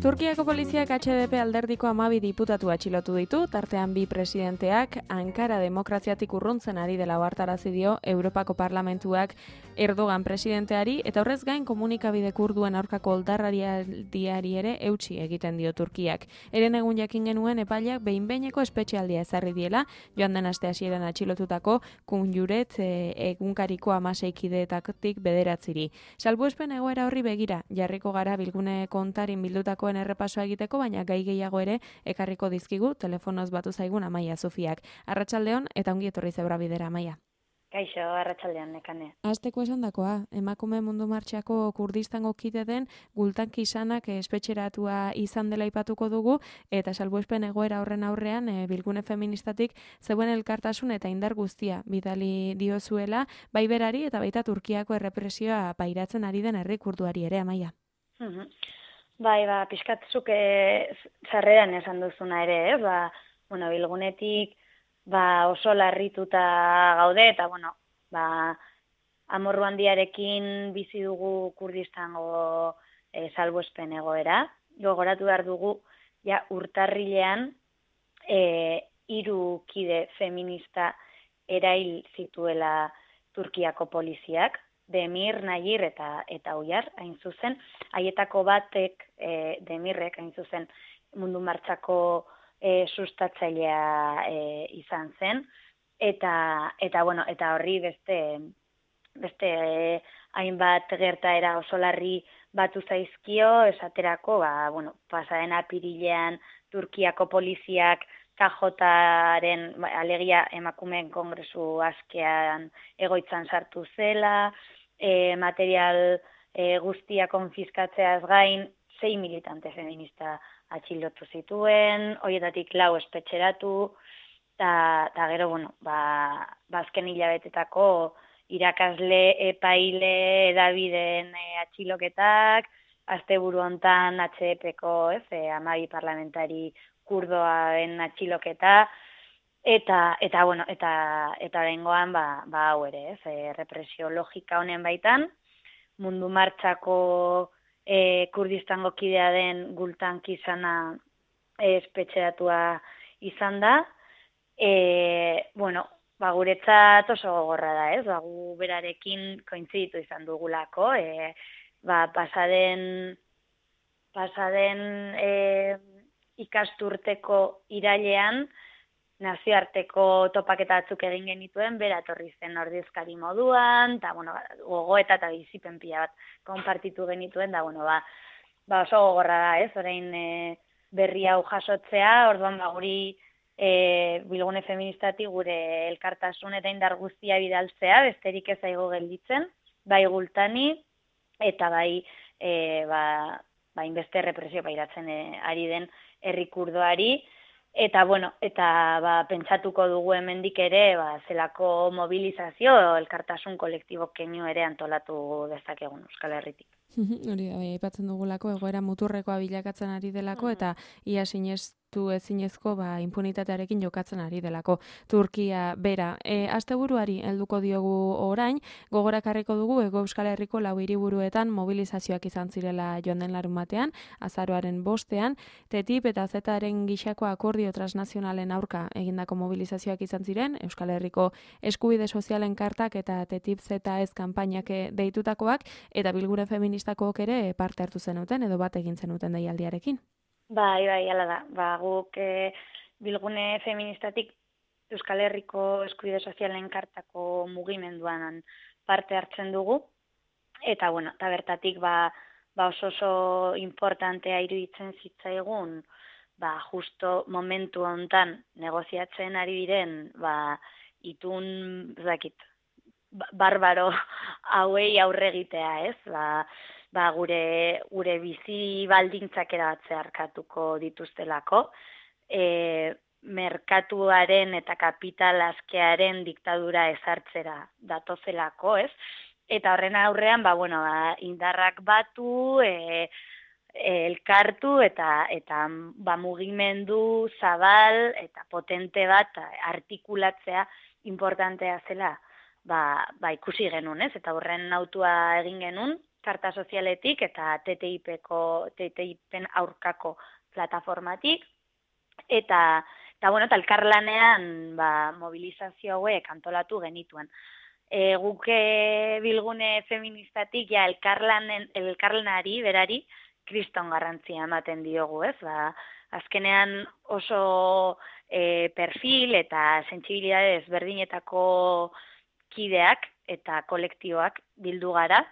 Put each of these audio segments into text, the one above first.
Turkiako poliziak HDP alderdiko 12 diputatu atxilotu ditu, tartean 2 presidenteak Ankara demokraziatik urruntzen ari dela ohartarazi dio Europako Parlamentuak Erdogan presidenteari, eta horrez gain komunikabide kurduen aurkako oldarraldiari ere eutsi egiten dio Turkiak. Eren egun jakin genuen epaileak behin-behineko espetxealdia ezarri diela, joan den aste hasieran atxilotutako Kunjuret egunkariko 16 kideetatik 9. Salbuespen egoera horri begira jarriko gara bilgune kontarin bildutakoen errepasoa egiteko, baina gai gehiago ere ekarriko dizkigu telefonoz batu zaigun Amaia Zufiak. Arratsaldeon eta ongi etorri Zebra Bidera, Amaia. Kaixo, arratsaldean, Nekane. Hasteko esandakoa, emakume mundu martxako Kurdistango kide den Gultan Kisanak espetxeratua izan dela aipatuko dugu, eta salbuespen egoera horren aurrean bilgune feministatik zeuen elkartasun eta indar guztia bidali diozuela, bai berari eta baita Turkiako errepresioa pairatzen ari den herri kurduari ere, Amaia. Bai, pixkatzuk sarreran esan duzuna ere, bilgunetik oso larrituta gaude, eta amorru handiarekin bizi dugu Kurdistango salbuespen egoera. Gogoratu behar dugu, urtarrilean 3 kide feminista erail zituela Turkiako poliziak, Demir, Nayir eta Uyar, hain zuzen. Haietako batek, Demirrek, hain zuzen, mundu martxako sustatzailea izan zen, eta horri beste hainbat gertaera oso larri batu zaizkio, esaterako, pasaden apirilean Turkiako poliziak KJ-aren, alegia emakumeen kongresu askean egoitzan sartu zela, material guztia konfiskatzeaz gain, 6 militante feminista atxilotu zituen, horietatik 4 espetxeratu, eta gero, azken hilabetetako irakasle, epaile, edabideen atxiloketak, asteburu hontan HDP-ko 12 parlamentari kurdoaren atxiloketa, eta bengoan hau ere, represio logika honen baitan, mundu martxako Kurdistango kidea den Gultan Kisana espetxeratua izan da. Guretzat oso gogorra da, gu berarekin kointziditu izan dugulako, pasaden ikasturteko irailean nazioarteko topaketa batzuk egin genituen, bera etorri zen ordezkari moduan, eta gogoeta eta bizipen pila bat konpartitu genituen, oso gogorra da, orain berri hau jasotzea, orduan guri bilgune feministatik gure elkartasun eta indar guztia bidaltzea, besterik ez zaigu gelditzen, bai Gultani, eta bai inbeste represio pairatzen ari den herri kurdoari, eta pentsatuko dugu hemendik ere, zelako mobilizazio, elkartasun kolektibo keinu ere antolatu dezakegun Euskal Herritik. Hori da, aipatzen dugulako, egoera muturrekoa bilakatzen ari delako, eta ia sinestu ezinezko impunitatearekin jokatzen ari delako Turkia bera. Asteburuari helduko diogu orain, gogorakarriko dugu Hego Euskal Herriko 4 hiriburuetan mobilizazioak izan zirela joan den larunbatean, azaroaren 5ean, TTIP eta Zaren gixako akordio transnazionalen aurka egindako mobilizazioak izan ziren, Euskal Herriko eskubide sozialen kartak eta TTIP ZS kanpainak deitutakoak, eta bilgune feministakook ere parte hartu zenuten edo bat egin zenuten deialdiarekin. Bai, hala da. Guk bilgune feministatik Euskal Herriko eskubide sozialen kartako mugimenduan parte hartzen dugu, eta bertatik oso importantea iruditzen zitzaigun, justo momentu hontan negoziatzen ari diren, itun, barbaro hauei aurre egitea, ez? Gure bizi baldintzak erabatzea arkatuko dituztelako, merkatuaren eta kapital askearen diktadura ezartzera datozelako, ez? Eta horren aurrean, indarrak batu, elkartu eta mugimendu zabal eta potente bat artikulatzea importantea zela, ikusi genuen, ez? Eta horren autua egin genuen, karta sozialetik eta TTIPen aurkako plataformatik, eta bueno, eta elkarlanean mobilizazio hauek antolatu genituen. Guk bilgune feministatik ja elkarlanari berari kriston garrantzia ematen diogu, ez? Azkenean oso perfil eta sentsibilitate ezberdinetako kideak eta kolektiboak bildu gara,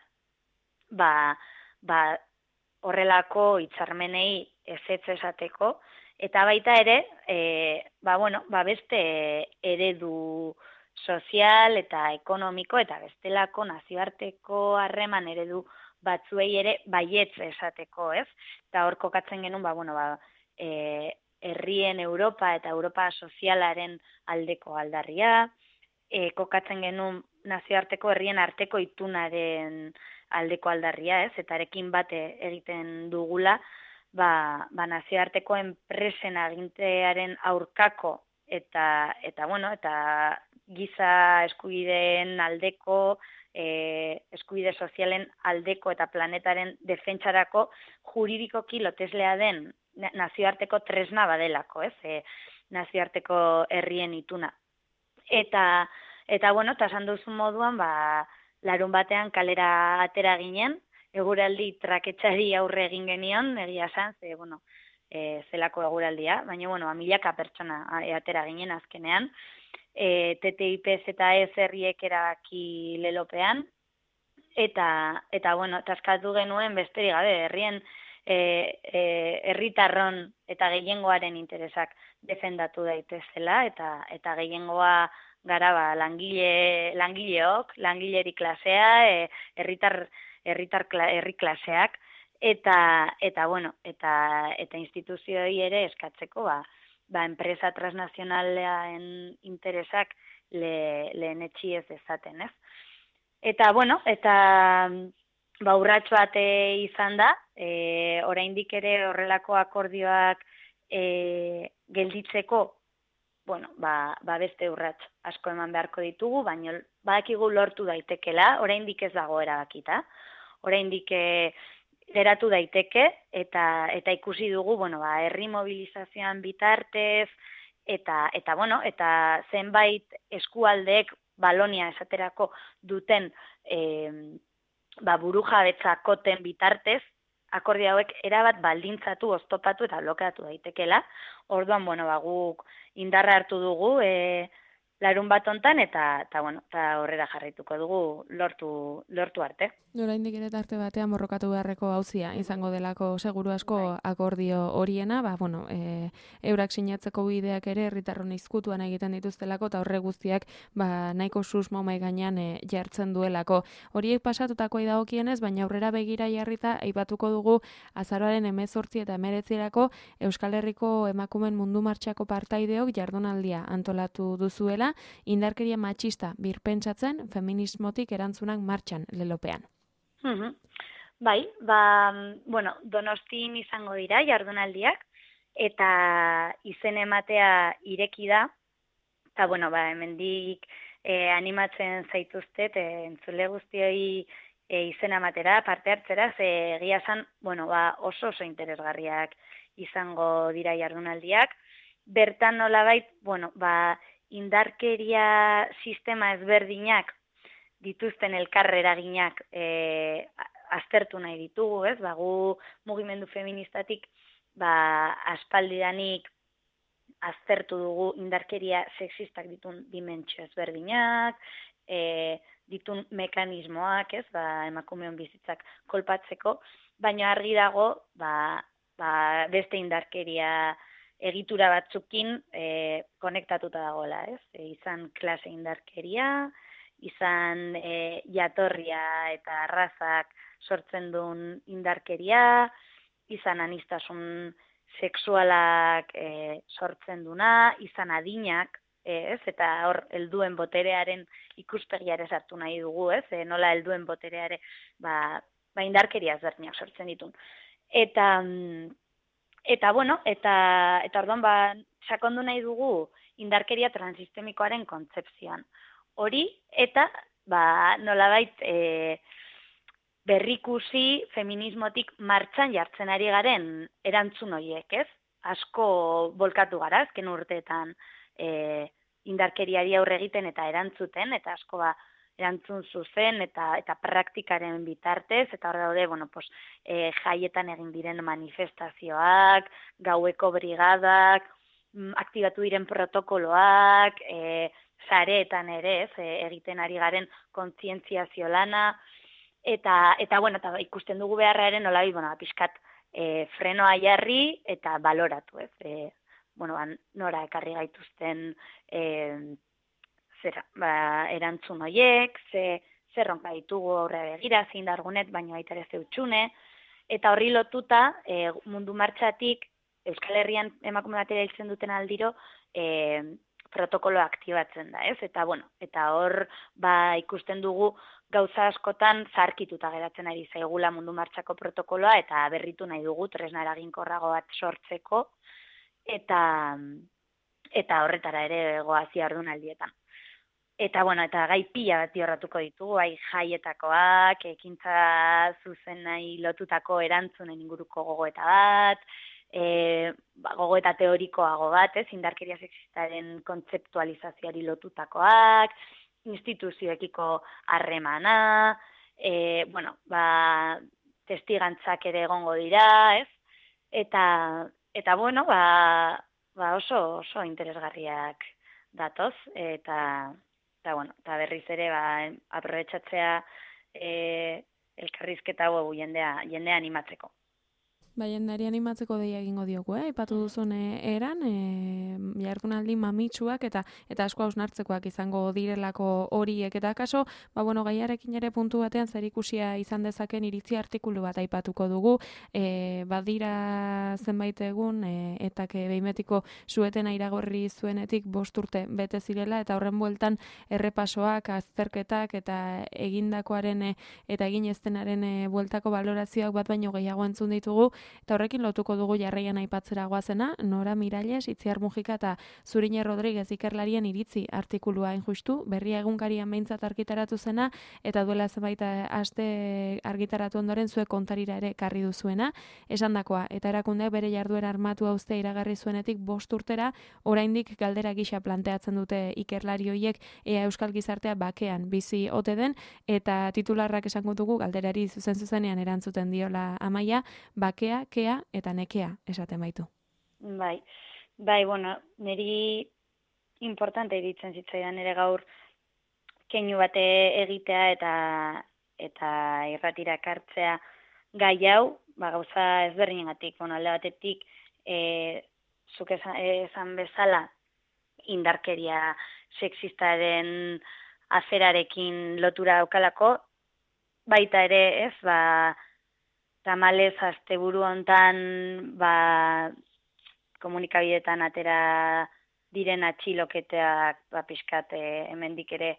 horrelako hitzarmenei ezetz esateko, eta baita ere, beste eredu sozial eta ekonomiko eta bestelako nazioarteko harreman eredu batzuei ere baietz esateko, ez? Eta hor kokatzen genuen, herrien Europa eta Europa sozialaren aldeko aldarria, kokatzen genuen nazioarteko herrien arteko itunaren aldeko aldarria, ez? Eta arekin bate egiten dugula, nazioarteko enpresen agintearen aurkako eta giza eskubideen aldeko, eskubide sozialen aldeko eta planetaren defentsarako juridikoki loteslea den nazioarteko tresna badelako, ez? Nazioarteko herrien ituna. Eta esan duzun moduan, larun batean kalera atera ginen, eguraldi traketxari aurre egin genion, egia esan, zelako eguraldia, baina, milaka pertsona atera ginen azkenean, TTIPez eta ez herriek erabaki lelopean, eta taskatu genuen besterik gabe, herrien herritarron eta gehiengoaren interesak defendatu daitezela, eta gehiengoa gara langileok, langileri klasea, herri klaseak, eta instituzioei ere eskatzeko, enpresa transnazionalean interesak lehenetsi ez dezaten, ez? Eta urrats bat izan da, oraindik ere horrelako akordioak gelditzeko, beste urrats asko eman beharko ditugu, baina badakigu lortu daitekela, oraindik ez dago erabakita, oraindik geratu daiteke, eta ikusi dugu, herri mobilizazioan bitartez, eta zenbait eskualdeek Balonia esaterako duten burujabetza koten bitartez, akordio hauek erabat baldintzatu, oztopatu eta blokeatu daitekela. Orduan, guk indarra hartu dugu larun bat hontan eta horrela jarraituko dugu lortu arte. Oraindik ere tarte batean borrokatu beharreko auzia izango delako seguru asko akordio horiena, eurak sinatzeko bideak ere herritarron izkutuan egiten dituztelako eta horre guztiak nahiko susmo mahai gainean jartzen duelako. Horiek pasatutakoa dagokienez, baina aurrera begira jarrita aipatuko dugu azaroaren 18 eta 19 Euskal Herriko emakumeen mundu martxako partaideok jardunaldia antolatu duzuela, indarkeria matxista birpentsatzen feminismotik erantzunak martxan lelopean. Donostin izango dira jardunaldiak, eta izen ematea ireki da, eta hemendik animatzen zaituztet, entzule guztioi izen ematera, parte hartzera, ze egia esan, oso interesgarriak izango dira jardunaldiak. Bertan nolabait, indarkeria sistema ezberdinak dituzten elkarreraginak aztertu nahi ditugu, ez? Gu mugimendu feministatik aspaldidanik aztertu dugu indarkeria sexistak ditun dimentsio ezberdinak, ditun mekanismoak, ez? Emakumeon bizitzak kolpatzeko, baina argi dago beste indarkeria egitura batzukin konektatuta dagoela, ez? Izan klase indarkeria, izan jatorria eta arrazak sortzen duen indarkeria, izan anistasun sexualak sortzen duna, izan adinak, ez? Eta hor helduen boterearen ikuspegia ere sartu nahi dugu, ez? Nola helduen botereare indarkeria ezberdinak sortzen ditun. Eta orduan sakondu nahi dugu indarkeria transistemikoaren kontzepzioan. Hori eta nolabait berrikusi feminismotik martxan jartzen ari garen erantzun horiek, ez? Asko bolkatu gara, azken urteetan indarkeriari aurre egiten eta erantzuten, eta asko erantzun zuzen eta praktikaren bitartez, eta hor daude, jaietan egin diren manifestazioak, gaueko brigadak, aktibatu diren protokoloak, sareetan ere, egiten ari garen kontzientziazio lana, eta ikusten dugu beharraren nolabi, pixkat frenoa jarri eta baloratu, ez? Nora ekarri gaituzten erantzun horiek, zer ronka ditugu aurre begira, zein dargunet, baina baita ere zeutxune, eta horri lotuta mundu martxatik Euskal Herrian emakume batera hiltzen duten aldiro protokolo aktibatzen da, ez? Eta hor ikusten dugu gauza askotan zarkituta geratzen ari zaigula mundu martxako protokoloa eta berritu nahi dugu tresna eraginkorrago bat sortzeko eta horretara ere goaz jardunaldietan. Eta gai pila bat jorratuko ditugu, jaietakoak, ekintza zuzenai lotutako erantzunen inguruko gogoeta bat, gogoeta teorikoago bat, indarkeria sexistaren kontzeptualizazioari lotutakoak, instituzioekiko harremana, testigantzak ere egongo dira, ez? Eta oso interesgarriak datoz, eta berriz ere aprobetxatzea elkarrizketa hau jendea animatzeko. Jendeari animatzeko deia egingo diogu, aipatu duzun eran, jardunaldi mamitsuak eta asko hausnartzekoak izango direlako horiek, eta kaso, gaiarekin ere puntu batean zerikusia izan dezaken iritzi artikulu bat aipatuko dugu, badira zenbait egun, eta behimetiko suetena iragorri zuenetik 5 urte bete zirela, eta horren bueltan errepasoak, azterketak eta egindakoaren eta egin eztenaren bueltako balorazioak bat baino gehiago entzun ditugu, eta horrekin lotuko dugu jarraian aipatzera goazena, Nora Miralles, Itziar Mujika eta Zurine Rodriguez ikerlarien iritzi artikulua injustu, berria egunkarian behintzat argitaratu zena, eta duela zenbait aste argitaratu ondoren zuek kontarira ere karri duzuena, esandakoa, eta erakundeak bere jarduera armatu hauztea iragarri zuenetik 5 urtera, oraindik galdera gisa planteatzen dute ikerlari horiek ea euskal gizartea bakean bizi ote den, eta titularrak esango dugu galderari zuzenean erantzuten diola Amaia, bakea, kea eta nekea esaten baitu. Niri importante iritzen zitzaidan ere gaur keinu bate egitea eta irratira ekartzea gai hau, gauza ezberdinengatik, alde batetik zuk esan bezala indarkeria sexistaren aferarekin lotura daukalako, baita ere, ez, tamalez asteburu hontan komunikabideetan atera diren atxiloketeak pixkat hemendik ere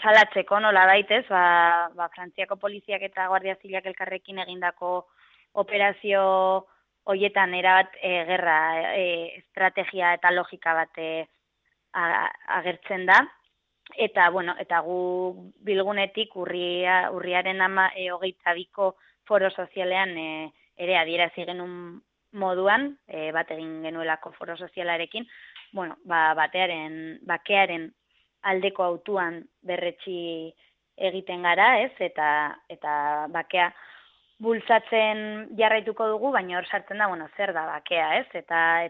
salatzeko nola baitez, Frantziako poliziak eta Guardia Zibilak elkarrekin egindako operazio hoietan erabat gerra estrategia eta logika bat agertzen da. Eta gu bilgunetik urriaren 22ko foro sozialean ere adierazi genuen moduan, bat egin genuelako foro sozialarekin, bakearen aldeko autuan berretsi egiten gara, ez? Eta bakea bultzatzen jarraituko dugu, baina hor sartzen da, zer da bakea, ez? Eta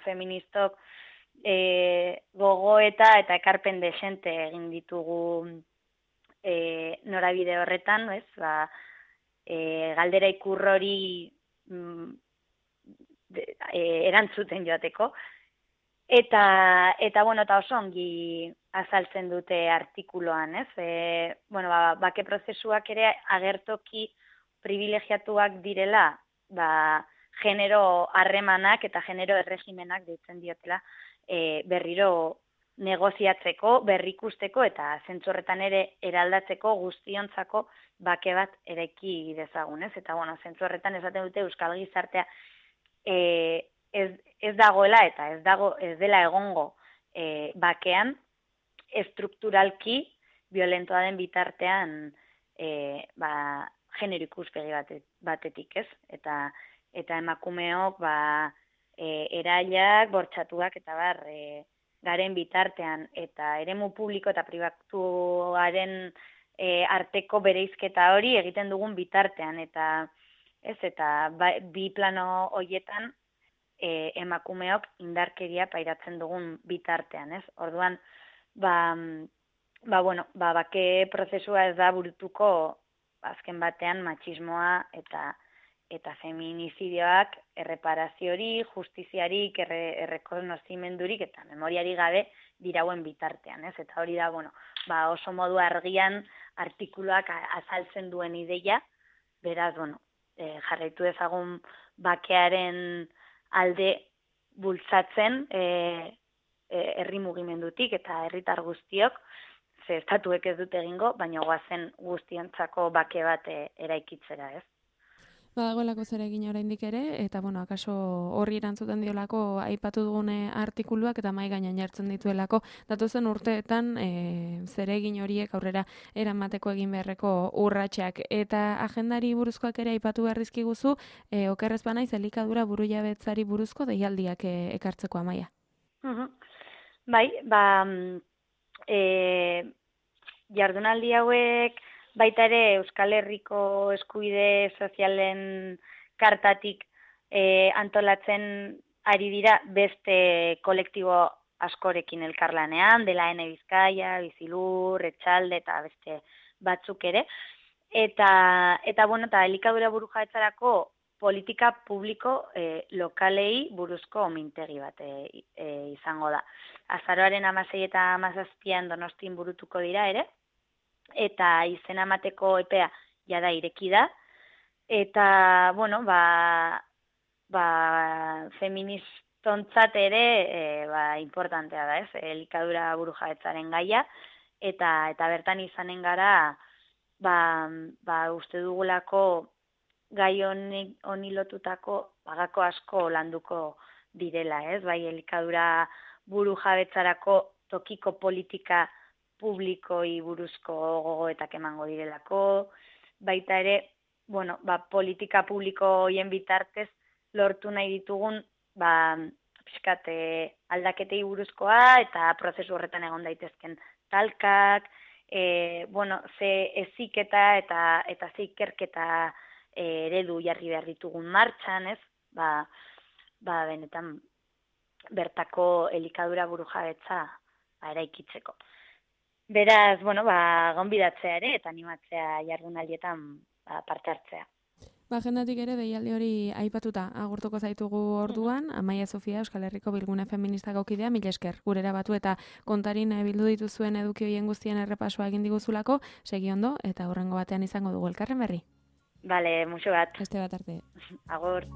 feministok gogoeta eta ekarpen desente egin ditugu norabide horretan, ez? Galdera ikurrori erantzuten joateko. Eta oso ongi azaltzen dute artikuluan, ez? Bake prozesuak ere agertoki privilegiatuak direla, genero harremanak eta genero erregimenak deitzen diotela berriro negoziatzeko, berrikusteko eta zentzu horretan ere eraldatzeko guztiontzako bake bat eraiki dezagun, ez? Eta zentzu horretan esaten dute euskal gizartea ez dagoela eta ez dela egongo bakean estrukturalki violentoa den bitartean genero ikuspegi batetik, ez? Eta emakumeok erailak, bortxatuak eta garen bitartean eta eremu publiko eta pribatuaren arteko bereizketa hori egiten dugun bitartean eta bi plano hoietan emakumeok indarkeria pairatzen dugun bitartean, ez? Orduan, bake prozesua ez da burutuko azken batean matxismoa eta feminizidioak erreparaziorik, justiziarik, errekonozimendurik eta memoriari gabe dirauen bitartean, ez? Eta hori da, oso modu argian artikuluak azaltzen duen ideia, beraz, jarraitu dezagun bakearen alde bultzatzen herri mugimendutik eta herritar guztiok, ze estatuek ez dute egingo, baina goazen guztientzako bake bat eraikitzera, ez? Badagoelako zer egin oraindik ere, eta akaso horri erantzuten diolako aipatu dugune artikuluak eta mahai gainean jartzen dituelako, datozen urteetan zer egin horiek aurrera eramateko egin beharreko urratsak. Eta agendari buruzkoak ere aipatu behar dizkiguzu, okerrez banaiz elikadura burujabetzari buruzko deialdiak ekartzeko, Amaia. Bai, jardunaldi hauek baita ere Euskal Herriko eskubide sozialen kartatik antolatzen ari dira beste kolektibo askorekin elkarlanean, dela N Bizkaia, Bizilur, Etxalde eta beste batzuk ere. Eta elikadura burujabetzarako politika publiko lokalei buruzko mintegi bat izango da. Azaroaren 16 eta 17 Donostian burutuko dira ere, eta izena emateko epea jada ireki da, eta, feministontzat ere importantea da, ez? Elikadura burujabetzaren gaia, eta bertan izanen gara, uste dugulako gai honi lotutako gako asko landuko direla, ez? Bai, elikadura burujabetzarako tokiko politika publikoi buruzko gogoetak emango direlako, baita ere, politika publiko hoien bitartez lortu nahi ditugun, pixkat aldaketei buruzkoa eta prozesu horretan egon daitezken talkak, ze heziketa eta ze ikerketa eredu jarri behar ditugun martxan, ez? Benetan bertako elikadura burujabetza eraikitzeko. Beraz, gonbidatzea ere eta animatzea jardunaldietan parte hartzea. Agendatik ere deialdi hori aipatuta agurtuko zaitugu orduan, Amaia Sofia Euskal Herriko Bilgune Feministako kidea, mila esker, gurera batu eta kontarin bildu dituzuen eduki hoien guztien errepasoa egin diguzulako, segi ondo eta hurrengo batean izango dugu elkarren berri. Bale, muxo bat. Beste bat arte. Agur.